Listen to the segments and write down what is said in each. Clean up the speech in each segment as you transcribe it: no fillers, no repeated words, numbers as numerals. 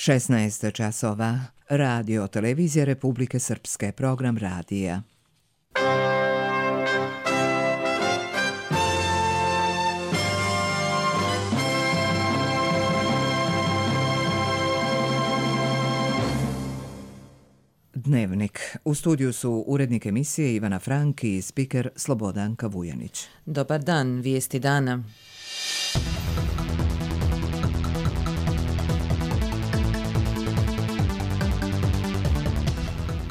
16 časova. Radio televizija Republike Srpske. Program radija. Dnevnik. U studiju su urednik emisije Ivana Frank i spiker Slobodanka Vujanić. Dobar dan, vijesti dana.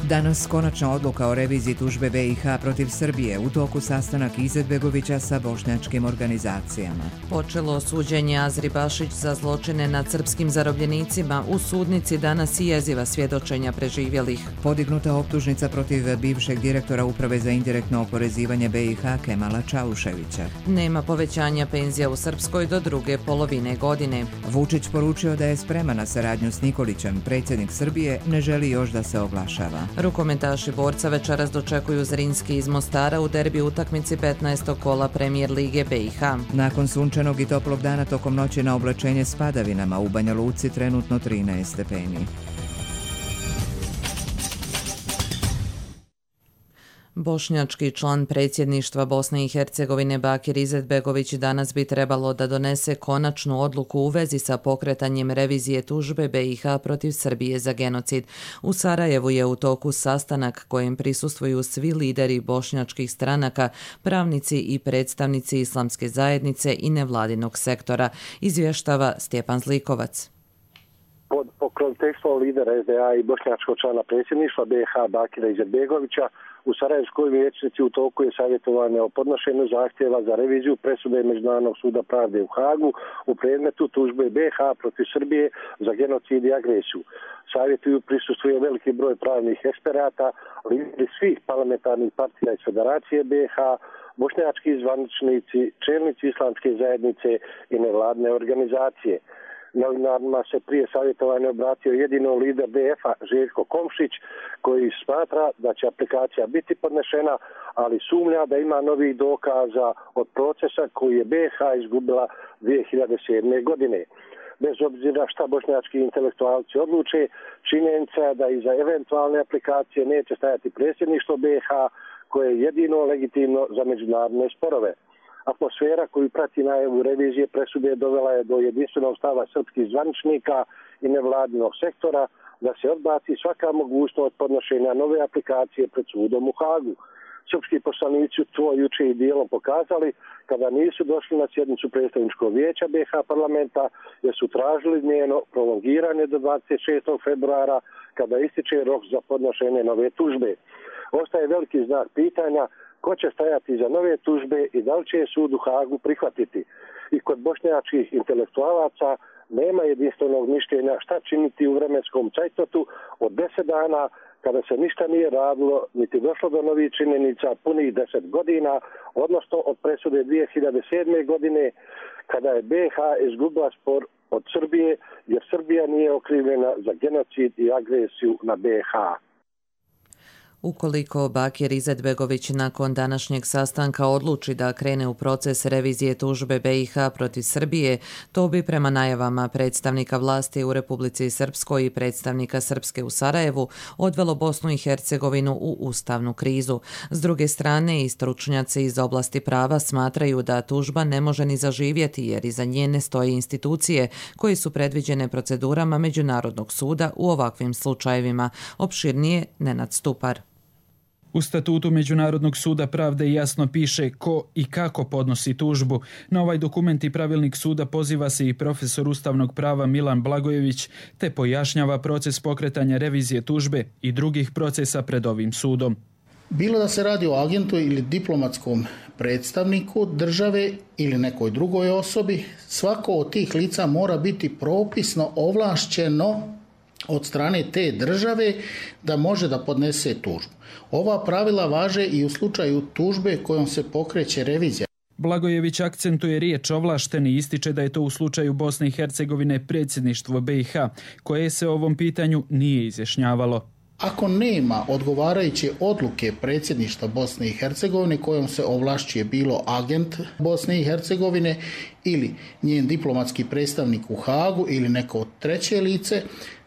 Danas konačna odluka o reviziji tužbe BiH protiv Srbije, u toku sastanak Izetbegovića sa bošnjačkim organizacijama. Počelo suđenje Azri Bašić za zločine nad srpskim zarobljenicima, u sudnici danas i jeziva svjedočenja preživjelih. Podignuta optužnica protiv bivšeg direktora Uprave za indirektno oporezivanje BiH Kemala Čauševića. Nema povećanja penzija u Srpskoj do druge polovine godine. Vučić poručio da je spreman na saradnju s Nikolićem. Predsjednik Srbije ne želi još da se oglašava. Rukometaši Borca večeras dočekuju Zrinski iz Mostara u derbi utakmici 15. kola Premijer Lige BiH. Nakon sunčanog i toplog dana tokom noći na oblačenje s padavinama, u Banja Luci trenutno 13 stepeni. Bošnjački član predsjedništva Bosne i Hercegovine Bakir Izetbegović danas bi trebalo da donese konačnu odluku u vezi sa pokretanjem revizije tužbe BiH protiv Srbije za genocid. U Sarajevu je u toku sastanak kojem prisustvuju svi lideri bošnjačkih stranaka, pravnici i predstavnici islamske zajednice i nevladinog sektora, izvještava Stjepan Zlikovac. Pod pokroviteljstvom lidera SDA i bošnjačkog člana predsjedništva BiH Bakira Izetbegovića u Sarajevskoj vijećnici u toku je savjetovanje o podnošenju zahtjeva za reviziju presude Međunarodnog suda pravde u Hagu u predmetu tužbe BiH protiv Srbije za genocid i agresiju. Savjetuju prisustvuje veliki broj pravnih eksperata, lideri svih parlamentarnih partija iz Federacije BiH, bošnjački zvaničnici, čelnici islamske zajednice i nevladne organizacije. Novinarima se prije savjetovanja obratio jedino lider DF-a Željko Komšić, koji smatra da će aplikacija biti podnešena, ali sumnja da ima novih dokaza od procesa koji je BiH izgubila 2007. godine. Bez obzira šta bošnjački intelektualci odluče, činjenica je da iza eventualne aplikacije neće stajati predsjedništvo BiH, koje je jedino legitimno za međunarodne sporove. Atmosfera koju prati najavu revizije presude dovela je do jedinstvenog stava srpskih zvaničnika i nevladinog sektora da se odbaci svaka mogućnost podnošenja nove aplikacije pred sudom u Hagu. Srpski poslanici to juče i dijelom pokazali kada nisu došli na sjednicu predstavničkog vijeća BiH parlamenta, jer su tražili njeno prolongiranje do 26. februara kada ističe rok za podnošenje nove tužbe. Ostaje veliki znak pitanja ko će stajati za nove tužbe i da li će sud u Hagu prihvatiti. I kod bošnjačkih intelektualaca nema jedinstvenog mišljenja šta činiti u vremenskom cajtotu od 10 dana kada se ništa nije radilo, niti došlo do novih činjenica punih 10 godina, odnosno od presude 2007. godine kada je BiH izgubila spor od Srbije, jer Srbija nije okrivljena za genocid i agresiju na BiH. Ukoliko Bakir Izetbegović nakon današnjeg sastanka odluči da krene u proces revizije tužbe BiH protiv Srbije, to bi prema najavama predstavnika vlasti u Republici Srpskoj i predstavnika Srpske u Sarajevu odvelo Bosnu i Hercegovinu u ustavnu krizu. S druge strane, i stručnjaci iz oblasti prava smatraju da tužba ne može ni zaživjeti jer iza nje ne stoje institucije koje su predviđene procedurama Međunarodnog suda u ovakvim slučajevima. Opširnije Nenad Stupar. U statutu Međunarodnog suda pravde jasno piše ko i kako podnosi tužbu. Na ovaj dokument i pravilnik suda poziva se i profesor ustavnog prava Milan Blagojević, te pojašnjava proces pokretanja revizije tužbe i drugih procesa pred ovim sudom. Bilo da se radi o agentu ili diplomatskom predstavniku države ili nekoj drugoj osobi, svako od tih lica mora biti propisno ovlašćeno od strane te države da može da podnese tužbu. Ova pravila važe i u slučaju tužbe kojom se pokreće revizija. Blagojević akcentuje riječ ovlašteni i ističe da je to u slučaju Bosne i Hercegovine predsjedništvo BiH, koje se o ovom pitanju nije izjašnjavalo. Ako nema odgovarajuće odluke predsjedništva Bosne i Hercegovine kojom se ovlašćuje bilo agent Bosne i Hercegovine ili njen diplomatski predstavnik u Hagu ili neko treće lice,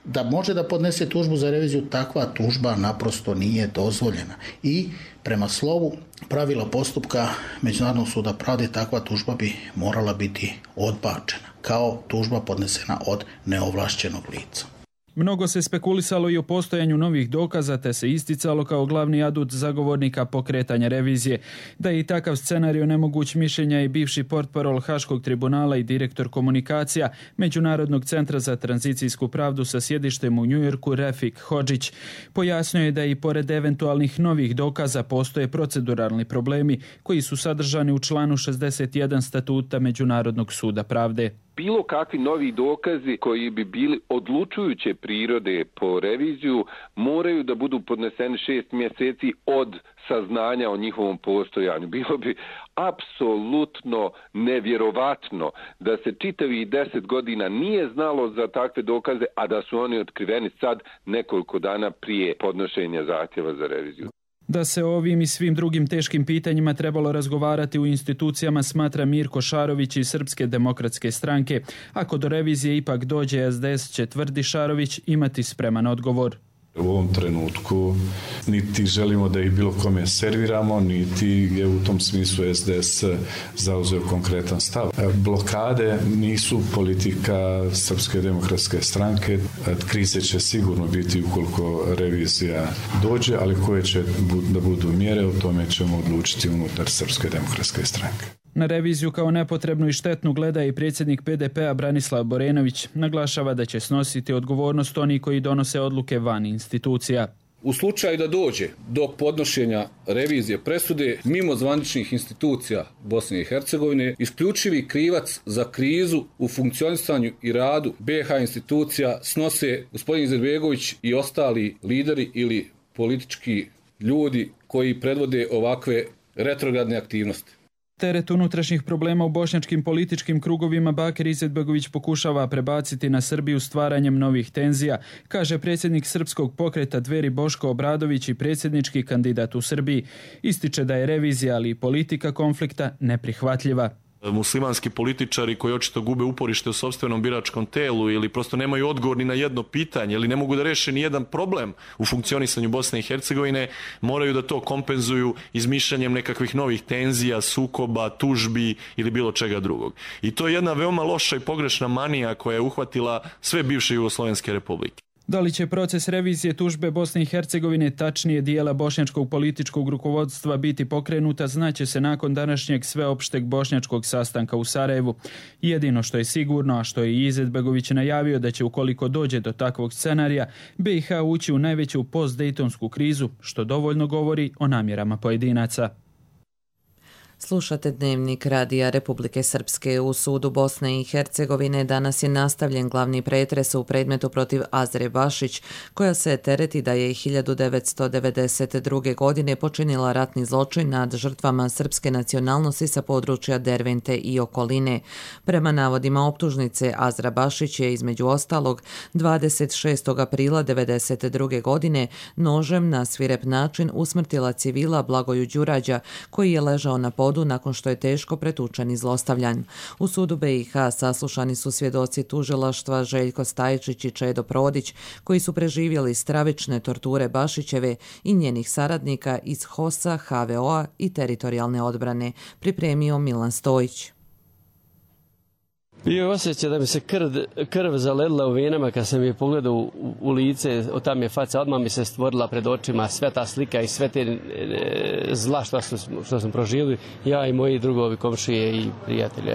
da može da podnese tužbu za reviziju, takva tužba naprosto nije dozvoljena. I prema slovu pravila postupka Međunarodnog suda pravde takva tužba bi morala biti odbačena kao tužba podnesena od neovlašćenog lica. Mnogo se spekulisalo i o postojanju novih dokaza, te se isticalo kao glavni adut zagovornika pokretanja revizije. Da je i takav scenario nemoguć, mišljenja i bivši portparol Haškog tribunala i direktor komunikacija Međunarodnog centra za tranzicijsku pravdu sa sjedištem u Njujorku Refik Hodžić. Pojasnio je da i pored eventualnih novih dokaza postoje proceduralni problemi koji su sadržani u članu 61 statuta Međunarodnog suda pravde. Bilo kakvi novi dokazi koji bi bili odlučujuće prirode po reviziju moraju da budu podneseni 6 mjeseci od saznanja o njihovom postojanju. Bilo bi apsolutno nevjerovatno da se čitavih 10 godina nije znalo za takve dokaze, a da su oni otkriveni sad nekoliko dana prije podnošenja zahtjeva za reviziju. Da se o ovim i svim drugim teškim pitanjima trebalo razgovarati u institucijama, smatra Mirko Šarović iz Srpske demokratske stranke. Ako do revizije ipak dođe, SDS će, tvrdi Šarović, imati spreman odgovor. U ovom trenutku niti želimo da ih bilo kome serviramo, niti je u tom smislu SDS zauzeo konkretan stav. Blokade nisu politika Srpske demokratske stranke. Krize će sigurno biti ukoliko revizija dođe, ali koje će da budu mjere, o tome ćemo odlučiti unutar Srpske demokratske stranke. Na reviziju kao nepotrebnu i štetnu gleda i predsjednik PDP-a Branislav Borenović. Naglašava da će snositi odgovornost oni koji donose odluke van institucija. U slučaju da dođe do podnošenja revizije presude mimo zvaničnih institucija Bosne i Hercegovine, isključivi krivac za krizu u funkcionisanju i radu BiH institucija snose gospodin Izetbegović i ostali lideri ili politički ljudi koji predvode ovakve retrogradne aktivnosti. Teret unutrašnjih problema u bošnjačkim političkim krugovima Bakir Izetbegović pokušava prebaciti na Srbiju stvaranjem novih tenzija, kaže predsjednik Srpskog pokreta Dveri Boško Obradović i predsjednički kandidat u Srbiji. Ističe da je revizija, ali i politika konflikta neprihvatljiva. Muslimanski političari koji očito gube uporište u sopstvenom biračkom telu ili prosto nemaju odgovor ni na jedno pitanje ili ne mogu da reše ni jedan problem u funkcionisanju Bosne i Hercegovine, moraju da to kompenzuju izmišljanjem nekakvih novih tenzija, sukoba, tužbi ili bilo čega drugog. I to je jedna veoma loša i pogrešna manija koja je uhvatila sve bivše jugoslovenske republike. Da li će proces revizije tužbe Bosne i Hercegovine, tačnije dijela bošnjačkog političkog rukovodstva, biti pokrenuta, znaće se nakon današnjeg sveopšteg bošnjačkog sastanka u Sarajevu. Jedino što je sigurno, a što je i Izetbegović najavio, da će ukoliko dođe do takvog scenarija, BiH ući u najveću postdejtonsku krizu, što dovoljno govori o namjerama pojedinaca. Slušate Dnevnik Radija Republike Srpske. U sudu Bosne i Hercegovine danas je nastavljen glavni pretres u predmetu protiv Azre Bašić, koja se tereti da je 1992. godine počinila ratni zločin nad žrtvama srpske nacionalnosti sa područja Dervente i okoline. Prema navodima optužnice, Azra Bašić je između ostalog 26. aprila 1992. godine nožem na svirep način usmrtila civila Blagoju Đurađa, koji je ležao na podu nakon što je teško pretučen i zlostavljan. U sudu BiH saslušani su svjedoci tužilaštva Željko Stajčić i Čedo Prodić, koji su preživjeli stravične torture Bašićeve i njenih saradnika iz HOS-a, HVO-a i teritorijalne odbrane, pripremio Milan Stojić. Bio je osjećaj da mi se krv zaledila u venama kad sam je pogledao u lice, od tam je faca, odmah mi se stvorila pred očima sve ta slika i sve te zla što smo proživili, ja i moji drugovi, komšije i prijatelji.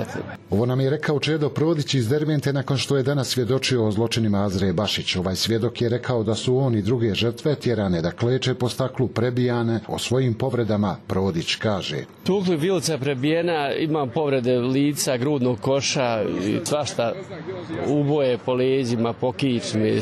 Ovo nam je rekao Čedo Prodić iz Dervente nakon što je danas svjedočio o zločinima Azre Bašić. Ovaj svjedok je rekao da su on i druge žrtve tjerane da kleče po staklu, prebijane. O svojim povredama Prodić kaže: Tukli, vilica prebijena, imam povrede lica, grudnog koša, svašta, uboje po leđima, po kičmi,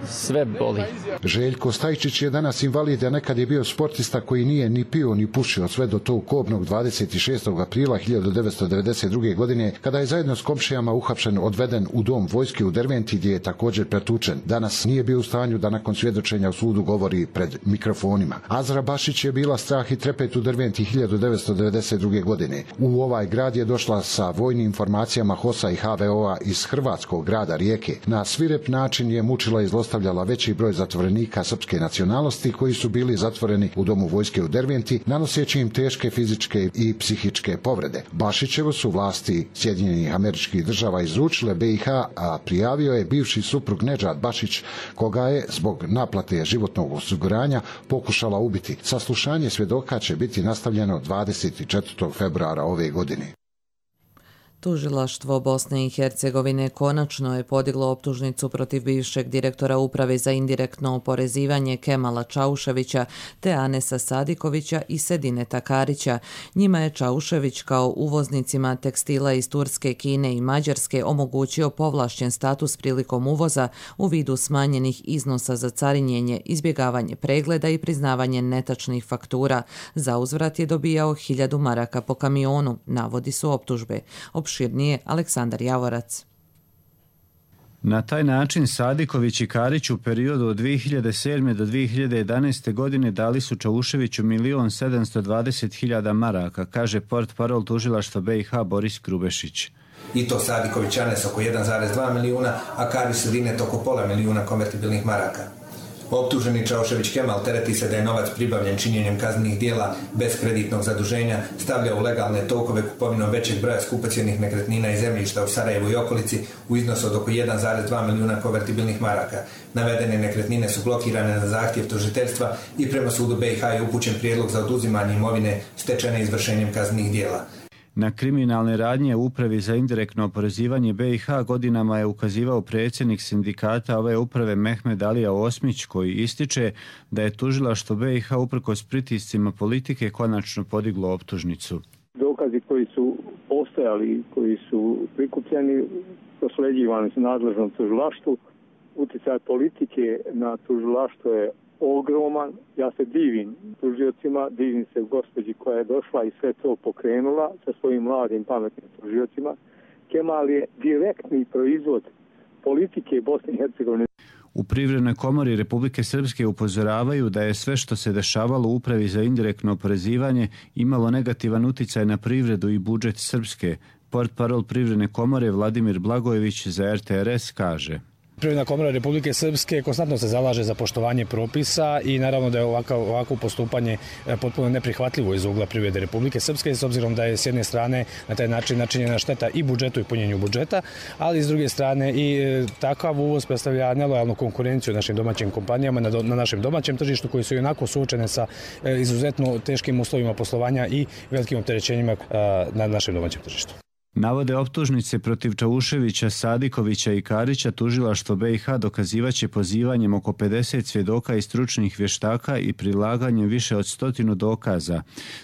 sve boli. Željko Stajčić je danas invalid, a nekad je bio sportista koji nije ni pio ni pušio sve do tog kobnog 26. aprila 1992. godine, kada je zajedno s komšijama uhapšen, odveden u dom vojske u Derventi, gdje je također pretučen. Danas nije bio u stanju da nakon svjedočenja u sudu govori pred mikrofonima. Azra Bašić je bila strah i trepet u Derventi 1992. godine. U ovaj grad je došla sa vojnim informacijama HOS-a i HVO-a iz hrvatskog grada Rijeke. Na svirep način je mučila i zlostavljala veći broj zatvorenika srpske nacionalnosti koji su bili zatvoreni u domu vojske u Derventi, nanoseći im teške fizičke i psihičke povrede. Bašićevo su vlasti Sjedinjenih Američkih Država izručile BiH, a prijavio je bivši suprug Nedžad Bašić, koga je zbog naplate životnog osiguranja pokušala ubiti. Saslušanje svjedoka će biti nastavljeno 24. februara ove godine. Tužilaštvo Bosne i Hercegovine konačno je podiglo optužnicu protiv bivšeg direktora Uprave za indirektno oporezivanje Kemala Čauševića te Anesa Sadikovića i Sedineta Karića. Njima je Čaušević kao uvoznicima tekstila iz Turske, Kine i Mađarske omogućio povlašćen status prilikom uvoza u vidu smanjenih iznosa za carinjenje, izbjegavanje pregleda i priznavanje netačnih faktura. Za uzvrat je dobijao 1000 maraka po kamionu, navodi su optužbe. Opširnije Aleksandar Javorac. Na taj način Sadiković i Karić u periodu od 2007. do 2011. godine dali su Čauševiću 1.720.000 maraka, kaže portparol tužilaštva BiH Boris Krubešić. I to Sadiković Anes oko 1,2 milijuna, a Karić Sedinet oko pola milijuna konvertibilnih maraka. Optuženi Čaušević Kemal tereti se da je novac pribavljen činjenjem kaznenih dijela bez kreditnog zaduženja, stavlja u legalne tokove kupovinom većeg broja skupocjenih nekretnina i zemljišta u Sarajevu i okolici u iznosu od oko 1,2 milijuna konvertibilnih maraka. Navedene nekretnine su blokirane na zahtjev tužiteljstva i prema sudu BiH je upućen prijedlog za oduzimanje imovine stečene izvršenjem kaznenih dijela. Na kriminalne radnje u Upravi za indirektno oporezivanje BiH godinama je ukazivao predsjednik sindikata ove uprave Mehmed Alija Osmić, koji ističe da je tužilaštvo BiH uprkos pritiscima politike konačno podiglo optužnicu. Dokazi koji su postojali, koji su prikupljeni, prosleđivani su nadležnom tužilaštvu. Utjecaj politike na tužilaštvo je ogroman. Ja se divim tužiocima, divim se gospođi koja je došla i sve to pokrenula sa svojim mladim pametnim tužiocima. Kemal je direktni proizvod politike Bosne i Hercegovine. U Privrednoj komori Republike Srpske upozoravaju da je sve što se dešavalo u Upravi za indirektno oporezivanje imalo negativan utjecaj na privredu i budžet Srpske. Portparol Privredne komore Vladimir Blagojević za RTRS kaže: Privredna komora Republike Srpske konstantno se zalaže za poštovanje propisa i naravno da je ovako postupanje potpuno neprihvatljivo iz ugla privrede Republike Srpske, s obzirom da je s jedne strane na taj način načinjena šteta i budžetu i punjenju budžeta, ali s druge strane i takav uvoz predstavlja nelojalnu konkurenciju našim domaćim kompanijama na našem domaćem tržištu, koji su i onako suočene sa izuzetno teškim uslovima poslovanja i velikim opterećenjima na našem domaćem tržištu. Navode optužnice protiv Čauševića, Sadikovića i Karića tužilaštvo BiH dokazivaće pozivanjem oko 50 svjedoka i stručnih vještaka i prilaganjem više od 100 dokaza.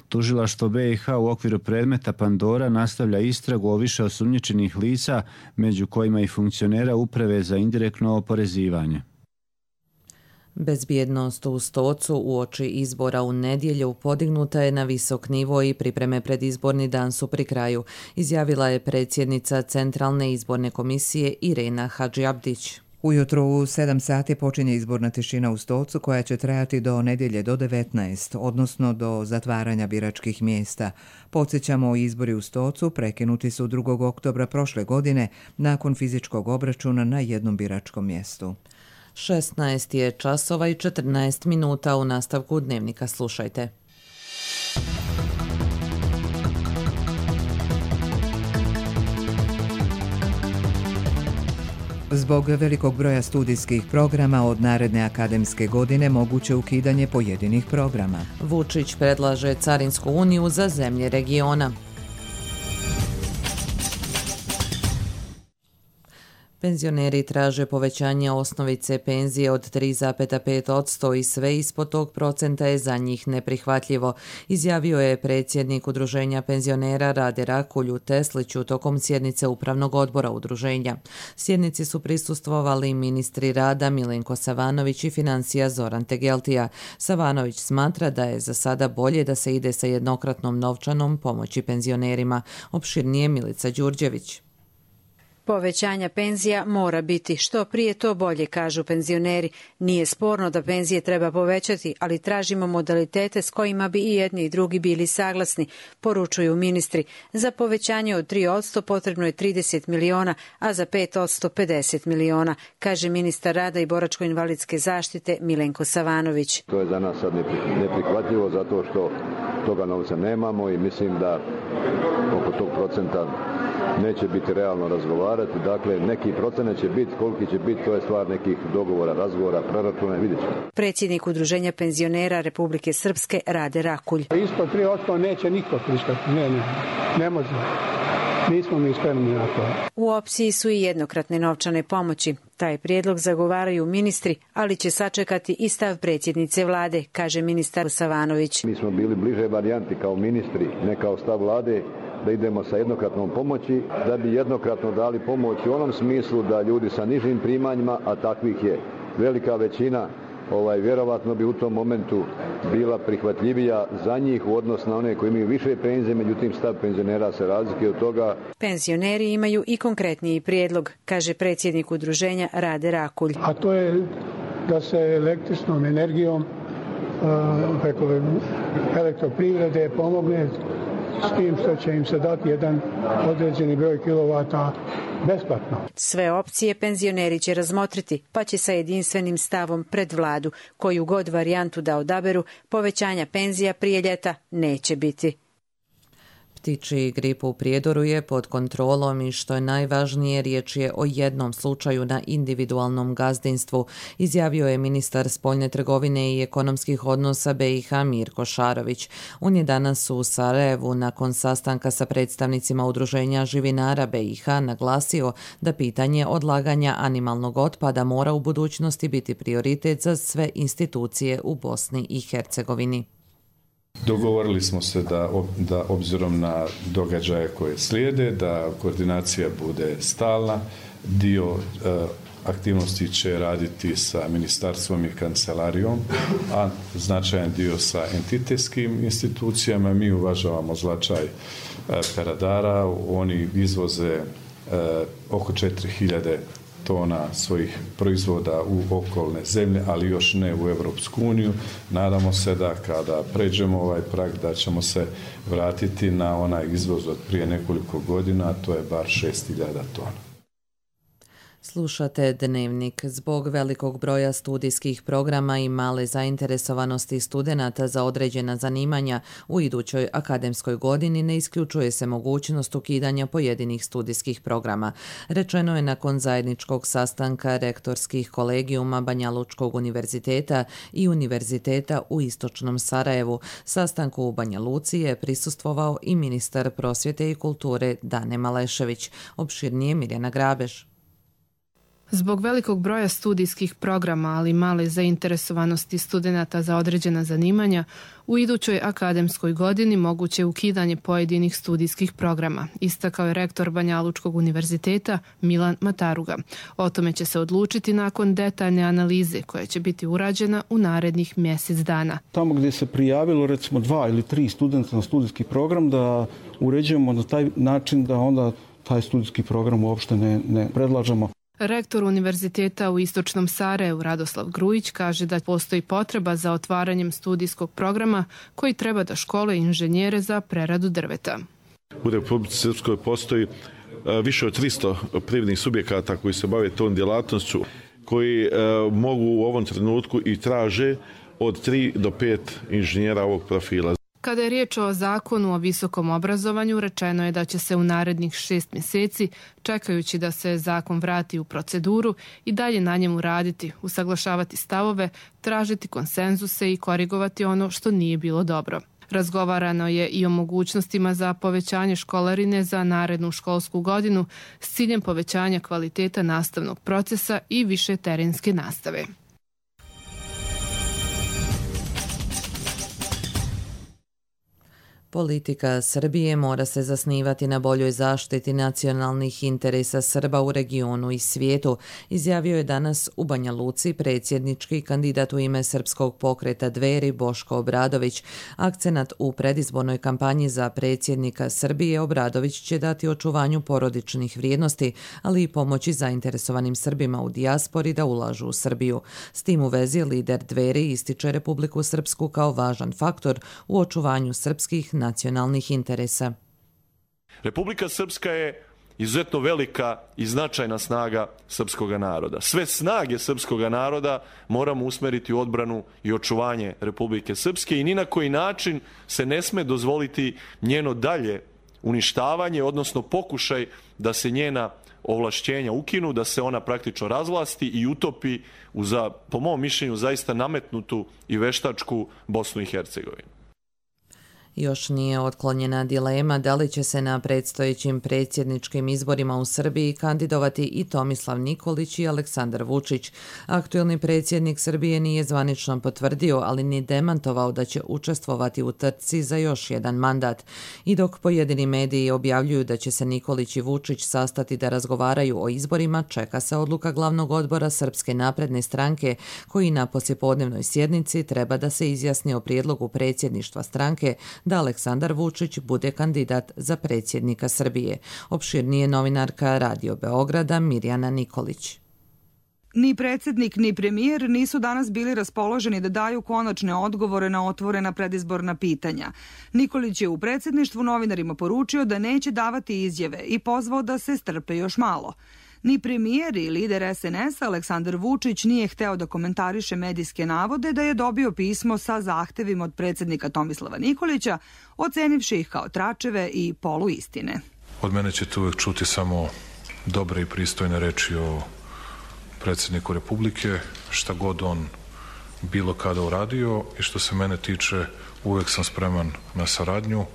Tužilaštvo BiH u okviru predmeta Pandora nastavlja istragu o više osumnjičenih lica, među kojima i funkcionera Uprave za indirektno oporezivanje. Bezbjednost u Stocu uoči izbora u nedjelju podignuta je na visok nivo i pripreme pred izborni dan su pri kraju, izjavila je predsjednica Centralne izborne komisije Irena Hadžiabdić. Ujutro u 7 sati počinje izborna tišina u Stocu koja će trajati do nedjelje do 19, odnosno do zatvaranja biračkih mjesta. Podsjećamo, izbori u Stocu prekinuti su 2. oktobra prošle godine nakon fizičkog obračuna na jednom biračkom mjestu. 16 je časova i 14 minuta. U nastavku dnevnika slušajte. Zbog velikog broja studijskih programa od naredne akademske godine moguće ukidanje pojedinih programa. Vučić predlaže Carinsku uniju za zemlje regiona. Penzioneri traže povećanje osnovice penzije od 3,5% i sve ispod tog procenta je za njih neprihvatljivo, izjavio je predsjednik Udruženja penzionera Rade Rakulj u Tesliću tokom sjednice Upravnog odbora udruženja. Sjednici su prisustvovali ministri rada Milenko Savanović i financija Zoran Tegeltija. Savanović smatra da je za sada bolje da se ide sa jednokratnom novčanom pomoći penzionerima. Opširnije Milica Đurđević. Povećanja penzija mora biti što prije to bolje, kažu penzioneri. Nije sporno da penzije treba povećati, ali tražimo modalitete s kojima bi i jedni i drugi bili saglasni, poručuju ministri. Za povećanje od 3% potrebno je 30 miliona, a za 5% 50 miliona, kaže ministar rada i boračko-invalidske zaštite Milenko Savanović. To je za nas sad neprihvatljivo zato što toga novca nemamo i mislim da oko tog procenta neće biti realno razgovarati. Dakle, neki procenat će biti, koliki će biti, to je stvar nekih dogovora, razgovora, proračuna, vidjet ćemo. Predsjednik Udruženja penzionera Republike Srpske Rade Rakulj. Ispod 3% neće niko pristati. Ne može. Nismo mi spremni na to. U opciji su i jednokratne novčane pomoći. Taj prijedlog zagovaraju ministri, ali će sačekati i stav predsjednice vlade, kaže ministar Savanović. Mi smo bili bliže varijanti kao ministri, ne kao stav vlade, da idemo sa jednokratnom pomoći, da bi jednokratno dali pomoć u onom smislu da ljudi sa nižim primanjima, a takvih je velika većina, vjerovatno bi u tom momentu bila prihvatljivija za njih u odnosu na one koji imaju više penzije, međutim stav penzionera se razlikuje od toga. Penzioneri imaju i konkretniji prijedlog, kaže predsjednik udruženja Rade Rakulj. A to je da se električnom energijom preko elektroprivrede pomogne s tim što će im se dati jedan određeni broj kilovata besplatno. Sve opcije penzioneri će razmotriti, pa će sa jedinstvenim stavom pred vladu, koju god varijantu da odaberu, povećanja penzija prije ljeta neće biti. Ptičji grip u Prijedoru je pod kontrolom i što je najvažnije, riječ je o jednom slučaju na individualnom gazdinstvu, izjavio je ministar spoljne trgovine i ekonomskih odnosa BiH Mirko Šarović. On je danas u Sarajevu nakon sastanka sa predstavnicima udruženja živinara BiH naglasio da pitanje odlaganja animalnog otpada mora u budućnosti biti prioritet za sve institucije u Bosni i Hercegovini. Dogovorili smo se da obzirom na događaje koje slijede, da koordinacija bude stalna. Dio aktivnosti će raditi sa ministarstvom i kancelarijom, a značajan dio sa entitetskim institucijama. Mi uvažavamo značaj peradara, oni izvoze oko 4000 tona svojih proizvoda u okolne zemlje, ali još ne u Europsku uniju. Nadamo se da kada pređemo ovaj prag da ćemo se vratiti na onaj izvoz od prije nekoliko godina, a to je bar 6000 tona. Slušate Dnevnik. Zbog velikog broja studijskih programa i male zainteresovanosti studenata za određena zanimanja u idućoj akademskoj godini ne isključuje se mogućnost ukidanja pojedinih studijskih programa. Rečeno je nakon zajedničkog sastanka rektorskih kolegijuma Banja Lučkog univerziteta i univerziteta u Istočnom Sarajevu. Sastanku u Banja Luci je prisustvovao i ministar prosvjete i kulture Dane Malešević. Opširnije Mirjana Grabež. Zbog velikog broja studijskih programa, ali male zainteresovanosti studenata za određena zanimanja, u idućoj akademskoj godini moguće ukidanje pojedinih studijskih programa, istakao je rektor Banja Lučkog univerziteta Milan Mataruga. O tome će se odlučiti nakon detaljne analize koja će biti urađena u narednih mjesec dana. Tamo gdje se prijavilo recimo 2 ili 3 studenta na studijski program, da uređujemo na taj način da onda taj studijski program uopšte ne predlažemo. Rektor univerziteta u Istočnom Sarajevu Radoslav Grujić kaže da postoji potreba za otvaranjem studijskog programa koji treba da školuje inženjere za preradu drveta. U Republici Srpskoj postoji više od 300 privrednih subjekata koji se bave tom djelatnošću, koji mogu u ovom trenutku i traže od 3 do 5 inženjera ovog profila. Kada je riječ o zakonu o visokom obrazovanju, rečeno je da će se u narednih 6 mjeseci, čekajući da se zakon vrati u proceduru, i dalje na njemu raditi, usaglašavati stavove, tražiti konsenzuse i korigovati ono što nije bilo dobro. Razgovarano je i o mogućnostima za povećanje školarine za narednu školsku godinu s ciljem povećanja kvaliteta nastavnog procesa i više terenske nastave. Politika Srbije mora se zasnivati na boljoj zaštiti nacionalnih interesa Srba u regionu i svijetu, izjavio je danas u Banja Luci predsjednički kandidat u ime Srpskog pokreta Dveri Boško Obradović. Akcenat u predizbornoj kampanji za predsjednika Srbije Obradović će dati očuvanju porodičnih vrijednosti, ali i pomoći zainteresovanim Srbima u dijaspori da ulažu u Srbiju. S tim u vezi lider Dveri ističe Republiku Srpsku kao važan faktor u očuvanju srpskih nacionalnih interesa. Republika Srpska je izuzetno velika i značajna snaga srpskog naroda. Sve snage srpskog naroda moramo usmeriti u odbranu i očuvanje Republike Srpske i ni na koji način se ne sme dozvoliti njeno dalje uništavanje, odnosno pokušaj da se njena ovlašćenja ukinu, da se ona praktično razvlasti i utopi u, po mom mišljenju, zaista nametnutu i veštačku Bosnu i Hercegovinu. Još nije otklonjena dilema da li će se na predstojećim predsjedničkim izborima u Srbiji kandidovati i Tomislav Nikolić i Aleksandar Vučić. Aktuelni predsjednik Srbije nije zvanično potvrdio, ali ni demantovao da će učestvovati u trci za još jedan mandat. I dok pojedini mediji objavljuju da će se Nikolić i Vučić sastati da razgovaraju o izborima, čeka se odluka glavnog odbora Srpske napredne stranke, koji na poslijepodnevnoj sjednici treba da se izjasni o prijedlogu predsjedništva stranke da Aleksandar Vučić bude kandidat za predsjednika Srbije. Opširnije novinarka Radio Beograda Mirjana Nikolić. Ni predsjednik ni premijer nisu danas bili raspoloženi da daju konačne odgovore na otvorena predizborna pitanja. Nikolić je u predsjedništvu novinarima poručio da neće davati izjave i pozvao da se strpe još malo. Ni premijer i lider SNS Aleksandar Vučić nije hteo da komentariše medijske navode da je dobio pismo sa zahtevima od predsjednika Tomislava Nikolića, ocenivši ih kao tračeve i poluistine. Od mene ćete uvek čuti samo dobre i pristojne reči o predsjedniku Republike, šta god on bilo kada uradio, i što se mene tiče uvek sam spreman na saradnju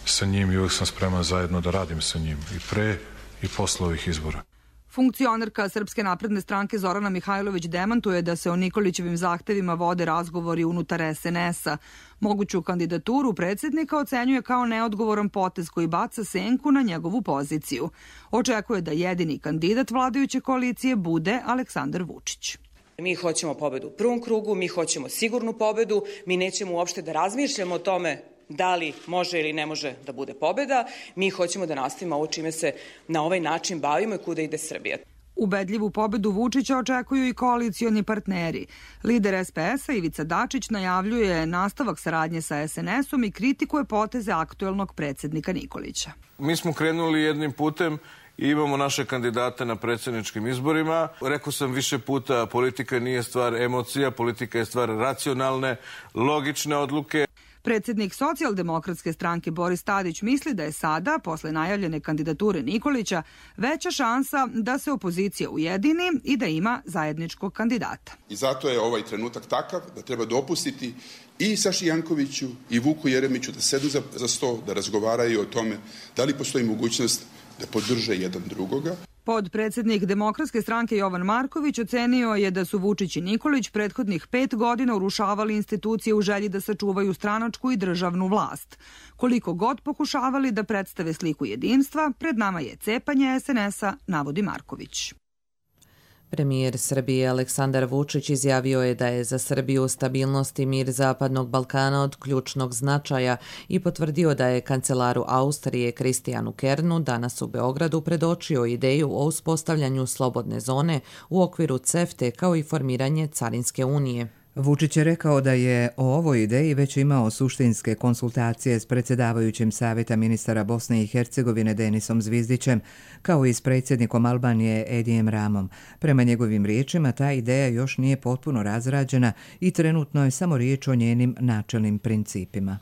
sa njim i uvek sam spreman zajedno da radim sa njim i pre i posle ovih izbora. Funkcionerka Srpske napredne stranke Zorana Mihajlović demantuje da se o Nikolićevim zahtevima vode razgovori unutar SNS-a. Moguću kandidaturu predsjednika ocenjuje kao neodgovoran potez koji baca senku na njegovu poziciju. Očekuje da jedini kandidat vladajuće koalicije bude Aleksandar Vučić. Mi hoćemo pobedu u prvom krugu, mi hoćemo sigurnu pobedu, mi nećemo uopšte da razmišljamo o tome da li može ili ne može da bude pobeda. Mi hoćemo da nastavimo ovo čime se na ovaj način bavimo i kuda ide Srbija. Ubedljivu pobedu Vučića očekuju i koalicioni partneri. Lider SPS-a Ivica Dačić najavljuje nastavak saradnje sa SNS-om i kritikuje poteze aktuelnog predsjednika Nikolića. Mi smo krenuli jednim putem i imamo naše kandidate na predsjedničkim izborima. Rekao sam više puta, politika nije stvar emocija, politika je stvar racionalne, logične odluke. Predsjednik Socijaldemokratske stranke Boris Tadić misli da je sada, posle najavljene kandidature Nikolića, veća šansa da se opozicija ujedini i da ima zajedničkog kandidata. I zato je ovaj trenutak takav da treba dopustiti i Saši Jankoviću i Vuku Jeremiću da sedu za sto, da razgovaraju o tome da li postoji mogućnost da podrže jedan drugoga. Podpredsjednik Demokratske stranke Jovan Marković ocenio je da su Vučić i Nikolić prethodnih 5 godina urušavali institucije u želji da sačuvaju stranačku i državnu vlast. Koliko god pokušavali da predstave sliku jedinstva, pred nama je cepanje SNS-a, navodi Marković. Premijer Srbije Aleksandar Vučić izjavio je da je za Srbiju stabilnost i mir Zapadnog Balkana od ključnog značaja i potvrdio da je kancelaru Austrije Kristijanu Kernu danas u Beogradu predočio ideju o uspostavljanju slobodne zone u okviru CEFTE kao i formiranje Carinske unije. Vučić je rekao da je o ovoj ideji već imao suštinske konsultacije s predsjedavajućim Savjeta ministara Bosne i Hercegovine Denisom Zvizdićem, kao i s predsjednikom Albanije Edijem Ramom. Prema njegovim riječima, ta ideja još nije potpuno razrađena i trenutno je samo riječ o njenim načelnim principima.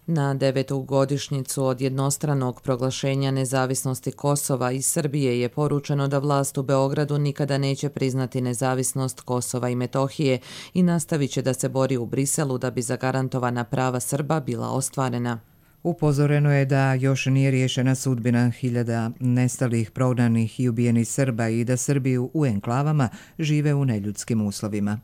Na 9. godišnjicu od jednostranog proglašenja nezavisnosti Kosova i Srbije je poručeno da vlast u Beogradu nikada neće priznati nezavisnost Kosova i Metohije i nastavit će da se bori u Briselu da bi zagarantovana prava Srba bila ostvarena. Upozoreno je da još nije riješena sudbina hiljada nestalih, prognanih i ubijenih Srba i da Srbi u enklavama žive u neljudskim uslovima.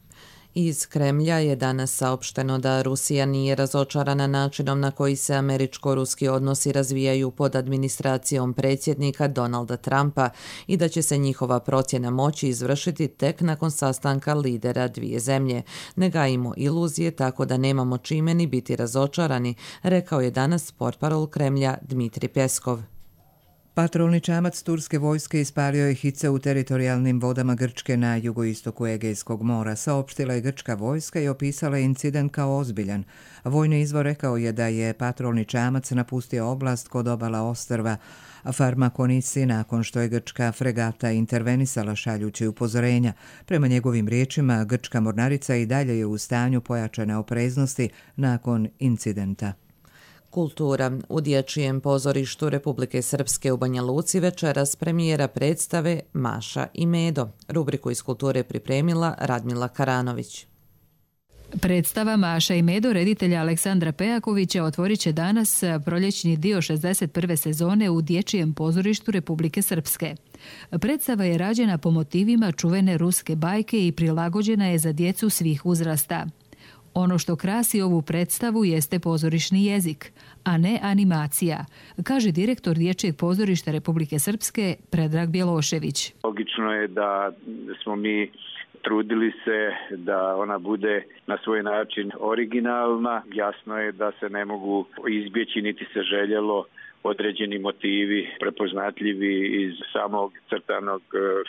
Iz Kremlja je danas saopšteno da Rusija nije razočarana načinom na koji se američko-ruski odnosi razvijaju pod administracijom predsjednika Donalda Trumpa i da će se njihova procjena moći izvršiti tek nakon sastanka lidera dvije zemlje. Ne gajimo iluzije, tako da nemamo čime ni biti razočarani, rekao je danas portparol Kremlja Dmitri Peskov. Patrolni čamac turske vojske ispalio je hice u teritorijalnim vodama Grčke na jugoistoku Egejskog mora. Saopštila je grčka vojska i opisala incident kao ozbiljan. Vojni izvor rekao je da je patrolni čamac napustio oblast kod obala ostrva Farmakonisi nakon što je grčka fregata intervenisala šaljući upozorenja. Prema njegovim riječima, grčka mornarica i dalje je u stanju pojačane opreznosti nakon incidenta. Kultura. U Dječjem pozorištu Republike Srpske u Banja Luci večeras premijera predstave Maša i Medo. Rubriku iz kulture pripremila Radmila Karanović. Predstava Maša i Medo reditelja Aleksandra Pejakovića otvorit će danas proljećni dio 61. sezone u Dječjem pozorištu Republike Srpske. Predstava je rađena po motivima čuvene ruske bajke i prilagođena je za djecu svih uzrasta. Ono što krasi ovu predstavu jeste pozorišni jezik, a ne animacija, kaže direktor Dječjeg pozorišta Republike Srpske Predrag Bjelošević. Logično je da smo mi trudili se da ona bude na svoj način originalna. Jasno je da se ne mogu izbjeći niti se željelo određeni motivi prepoznatljivi iz samog crtanog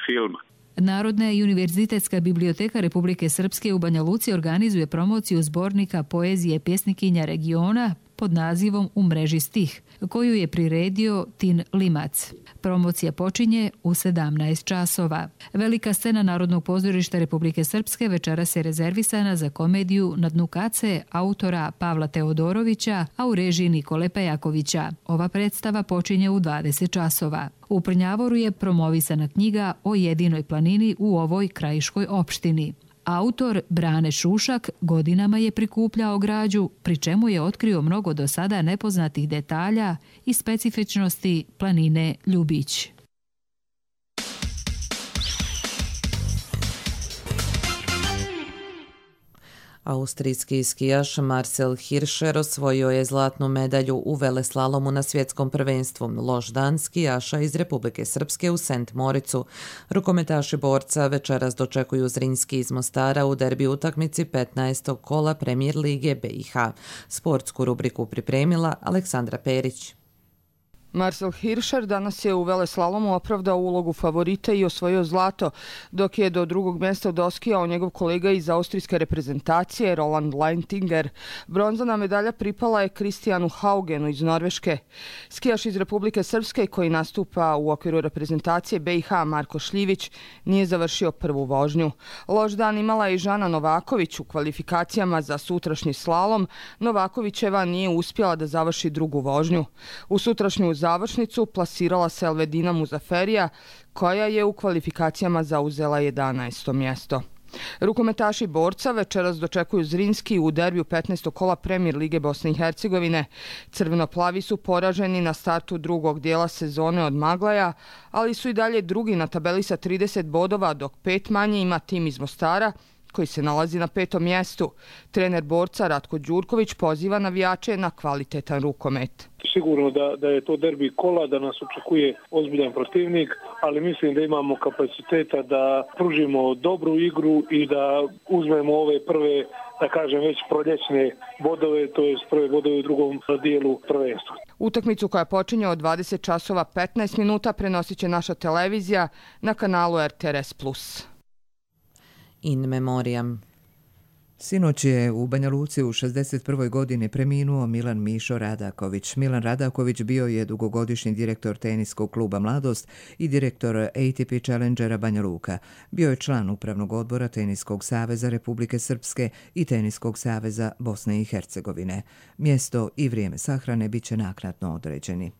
filma. Narodna i univerzitetska biblioteka Republike Srpske u Banja Luci organizuje promociju zbornika poezije pjesnikinja regiona pod nazivom U mreži stih, koju je priredio Tin Limac. Promocija počinje u 17 časova. Velika scena Narodnog pozorišta Republike Srpske večeras je rezervisana za komediju Na dnu kace autora Pavla Teodorovića, a u režiji Nikole Pejakovića. Ova predstava počinje u 20 časova. U Prnjavoru je promovisana knjiga o jedinoj planini u ovoj krajiškoj opštini. Autor Brane Šušak godinama je prikupljao građu, pri čemu je otkrio mnogo do sada nepoznatih detalja i specifičnosti planine Ljubić. Austrijski skijaš Marcel Hirscher osvojio je zlatnu medalju u veleslalomu na svjetskom prvenstvu. Loš dan skijaša iz Republike Srpske u Sent Moricu. Rukometaši borca večeras dočekuju Zrinski iz Mostara u derbi utakmici 15. kola Premier lige BiH. Sportsku rubriku pripremila Aleksandra Perić. Marcel Hirscher danas je u veleslalomu opravdao ulogu favorita i osvojio zlato, dok je do drugog mjesta doskijao njegov kolega iz austrijske reprezentacije Roland Leintinger. Bronzana medalja pripala je Kristijanu Haugenu iz Norveške. Skijaš iz Republike Srpske koji nastupa u okviru reprezentacije BiH Marko Šljivić nije završio prvu vožnju. Loš dan imala je i Žana Novaković u kvalifikacijama za sutrašnji slalom. Novakovićeva nije uspjela da završi drugu vožnju. U sutrašnju završnicu plasirala se Elvedina Muzaferija, koja je u kvalifikacijama zauzela 11. mjesto. Rukometaši borca večeras dočekuju Zrinski u derbiju 15. kola Premier lige Bosne i Hercegovine. Crvenoplavi su poraženi na startu drugog dijela sezone od Maglaja, ali su i dalje drugi na tabeli sa 30 bodova, dok 5 manje ima tim iz Mostara, koji se nalazi na 5. mjestu. Trener borca Ratko Đurković poziva navijače na kvalitetan rukomet. Sigurno da je to derbi kola, da nas očekuje ozbiljan protivnik, ali mislim da imamo kapaciteta da pružimo dobru igru i da uzmemo ove prve, da kažem, već proljećne bodove, to je prve bodove u drugom dijelu prvenstva. Utakmicu koja počinje od 20 časova 15 minuta prenosit će naša televizija na kanalu RTRS+. In memoriam. Sinoć je u Banja Luci u 61. godini preminuo Milan Mišo Radaković. Milan Radaković bio je dugogodišnji direktor teniskog kluba Mladost i direktor ATP Challengera Banja Luka. Bio je član Upravnog odbora Teniskog saveza Republike Srpske i Teniskog saveza Bosne i Hercegovine. Mjesto i vrijeme sahrane bit će naknadno određeni.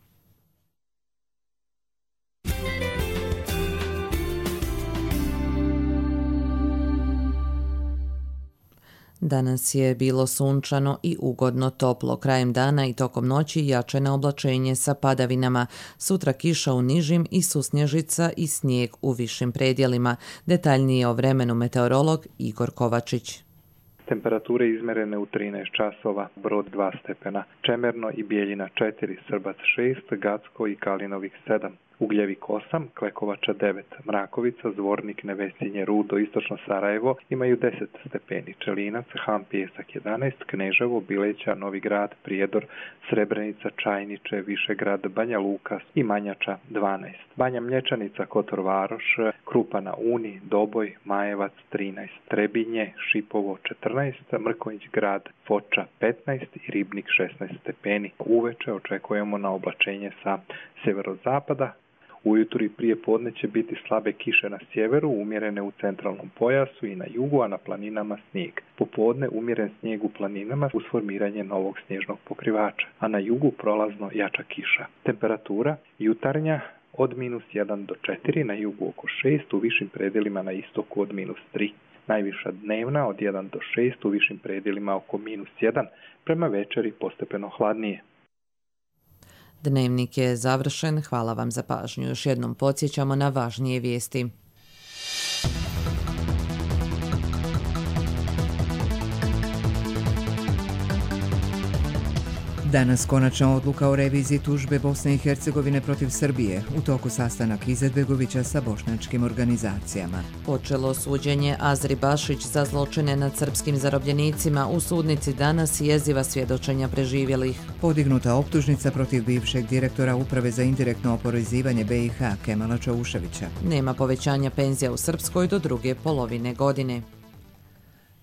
Danas je bilo sunčano i ugodno toplo. Krajem dana i tokom noći jačeno oblačenje sa padavinama. Sutra kiša u nižim i susnježica i snijeg u višim predjelima. Detaljnije o vremenu meteorolog Igor Kovačić. Temperature izmerene u 13 časova, Brod 2 stepena, Čemerno i Bijeljina 4, Srbac 6, Gacko i Kalinovik 7. Ugljevik 8, Klekovača 9, Mrakovica, Zvornik, Nevesinje, Rudo, Istočno Sarajevo imaju 10 stepeni, Čelinac, Ham, Pijesak 11, Kneževo, Bileća, Novi Grad, Prijedor, Srebrenica, Čajniče, Višegrad, Banja Luka i Manjača 12. Banja Mlječanica, Kotor Varoš, Krupa na Uni, Doboj, Majevac 13, Trebinje, Šipovo 14, Mrkonjić Grad, Foča 15 i Ribnik 16 stepeni. Uveče očekujemo na oblačenje sa sjeverozapada. Ujutro i prije podne će biti slabe kiše na sjeveru, umjerene u centralnom pojasu i na jugu, a na planinama snijeg. Popodne umjeren snijeg u planinama uz formiranje novog snježnog pokrivača, a na jugu prolazno jača kiša. Temperatura jutarnja od -1 do 4, na jugu oko 6, u višim predjelima na istoku od -3. Najviša dnevna od 1 do 6, u višim predjelima oko -1, prema večeri postepeno hladnije. Dnevnik je završen. Hvala vam za pažnju. Još jednom podsjećamo na važnije vijesti. Danas konačna odluka o reviziji tužbe Bosne i Hercegovine protiv Srbije, u toku sastanak Izetbegovića sa bošnjačkim organizacijama. Počelo suđenje Azri Bašić za zločine nad srpskim zarobljenicima. U sudnici danas jeziva svjedočenja preživjelih. Podignuta optužnica protiv bivšeg direktora Uprave za indirektno oporezivanje BiH Kemala Čauševića. Nema povećanja penzija u Srpskoj do druge polovine godine.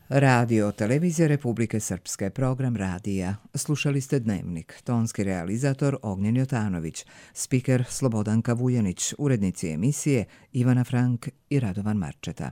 Radio Televizija Republike Srpske, program radija. Slušali ste Dnevnik, tonski realizator Ognjen Jotanović, spiker Slobodanka Vujanić, urednici emisije Ivana Frank i Radovan Marčeta.